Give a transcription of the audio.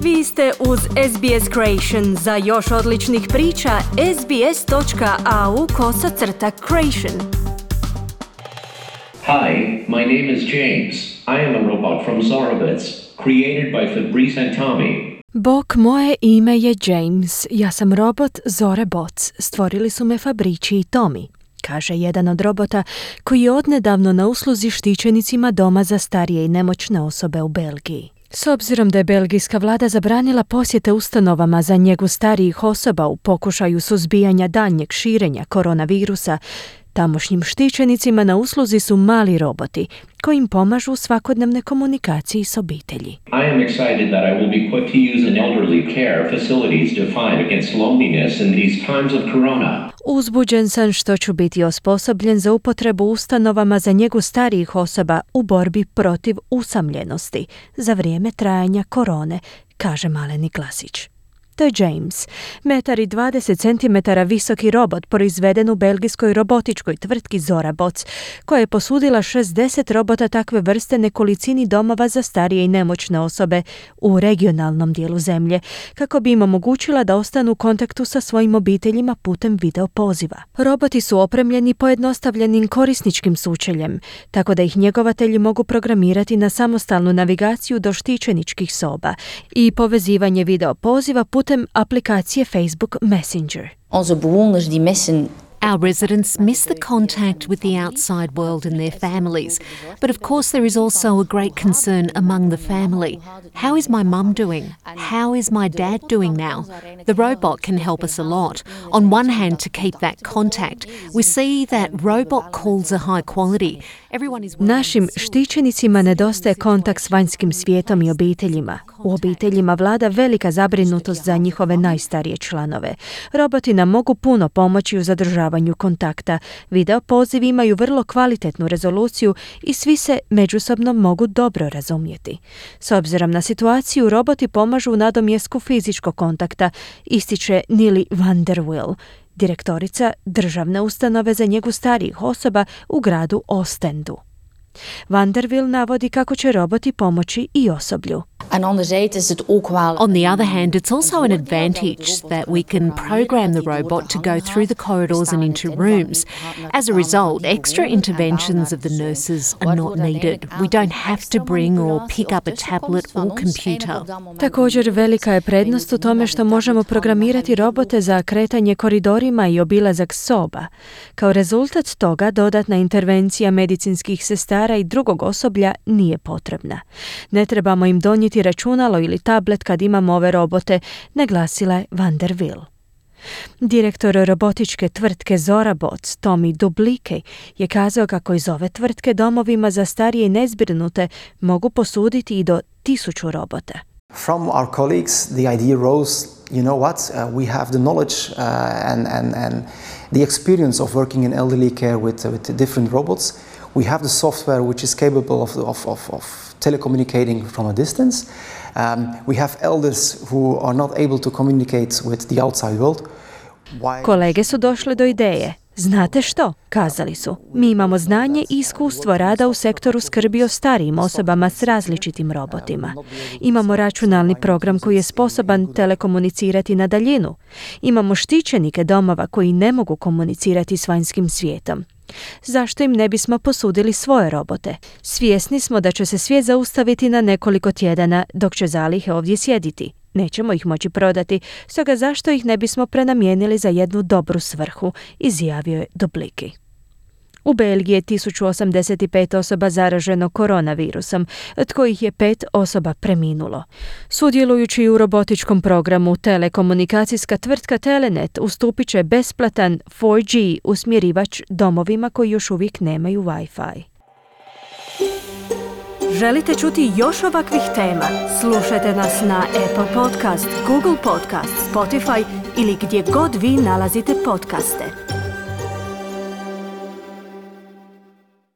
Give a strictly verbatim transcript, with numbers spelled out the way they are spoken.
Vi ste uz S B S Creation. Za još odličnih priča, sbs.au kosacrta creation. Hi, my name is James. I am a robot from Zorobits, created by Fabrice and Tommy. Bok, moje ime je James. Ja sam robot Zorebots. Stvorili su me Fabrici i Tommy, kaže jedan od robota koji je odnedavno na usluzi štićenicima doma za starije i nemoćne osobe u Belgiji. S obzirom da je belgijska vlada zabranila posjete ustanovama za njegu starijih osoba u pokušaju suzbijanja daljnjeg širenja koronavirusa, tamošnjim štićenicima na usluzi su mali roboti koji im pomažu u svakodnevnoj komunikaciji s obitelji. I am excited that I will be put to use in elderly care facilities to fight against loneliness in these times of corona. Uzbuđen sam što ću biti osposobljen za upotrebu ustanovama za njegu starijih osoba u borbi protiv usamljenosti za vrijeme trajanja korone, kaže maleni glasić. To je James, metar i dvadeset centimetara visoki robot proizveden u belgijskoj robotičkoj tvrtki Zorabots, koja je posudila šezdeset robota takve vrste nekolicini domova za starije i nemoćne osobe u regionalnom dijelu zemlje, kako bi im omogućila da ostanu u kontaktu sa svojim obiteljima putem video poziva. Roboti su opremljeni pojednostavljenim korisničkim sučeljem, tako da ih njegovatelji mogu programirati na samostalnu navigaciju do štićeničkih soba i povezivanje video poziva putem aplikacije Facebook Messenger. Onze bewoners die missen. Our residents miss the contact with the outside world and their families. But of course there is also a great concern among the family. How is my mum doing? How is my dad doing now? The robot can help us a lot. On one hand, to keep that contact, we see that robot calls are high quality. Everyone is Našim štićenicima nedostaje kontakt s vanjskim svijetom i obiteljima. U obiteljima vlada velika zabrinutost za njihove najstarije članove. Roboti nam mogu puno pomoći u zadržavanju kontakta. Video pozivi imaju vrlo kvalitetnu rezoluciju i svi se međusobno mogu dobro razumjeti. S obzirom na situaciju, roboti pomažu u nadomjesku fizičkog kontakta, ističe Nili van der Wil, direktorica državne ustanove za njegu starijih osoba u gradu Ostendu. Van der Wil navodi kako će roboti pomoći i osoblju. En anderzijds is het ook wel. On the other hand, it's also an advantage that we can program the robot to go through the corridors and into rooms. As a result, extra interventions of the nurses are not needed. We don't have to bring or pick up a tablet or computer. Također, velika je prednost u tome što možemo programirati robote za kretanje koridorima i obilazak soba. Kao rezultat toga, dodatna intervencija medicinskih sestara i drugog osoblja nije potrebna. Ne trebamo im donijeti računalo ili tablet kad imamo ove robote, naglasila je van der Wil. Direktor robotičke tvrtke Zorabots, Tommy Dublike, je kazao kako iz ove tvrtke domovima za starije i nezbrinute mogu posuditi i do tisuću robota. From our colleagues, the idea rose, you know what, uh, we have the knowledge uh, and, and, and the experience of working in elderly care with, uh, with different robots. We have the software which is capable of, of, of, of telecommunicating from a distance. Um, we have elders who are not able to communicate with the outside world. Why? Kolege su došli do ideje. Znate što? Kazali su. Mi imamo znanje i iskustvo rada u sektoru skrbi o starijim osobama s različitim robotima. Imamo računalni program koji je sposoban telekomunicirati na daljinu. Imamo štićenike domova koji ne mogu komunicirati s vanjskim svijetom. Zašto im ne bismo posudili svoje robote? Svjesni smo da će se svijet zaustaviti na nekoliko tjedana dok će zalihe ovdje sjediti. Nećemo ih moći prodati, stoga zašto ih ne bismo prenamijenili za jednu dobru svrhu, izjavio je Dubliki. U Belgiji je tisuću osamdeset pet osoba zaraženo koronavirusom, od kojih je pet osoba preminulo. Sudjelujući u robotičkom programu, telekomunikacijska tvrtka Telenet ustupit će besplatan four G usmjerivač domovima koji još uvijek nemaju Wi-Fi. Želite čuti još ovakvih tema? Slušajte nas na Apple Podcast, Google Podcast, Spotify ili gdje god vi nalazite podcaste.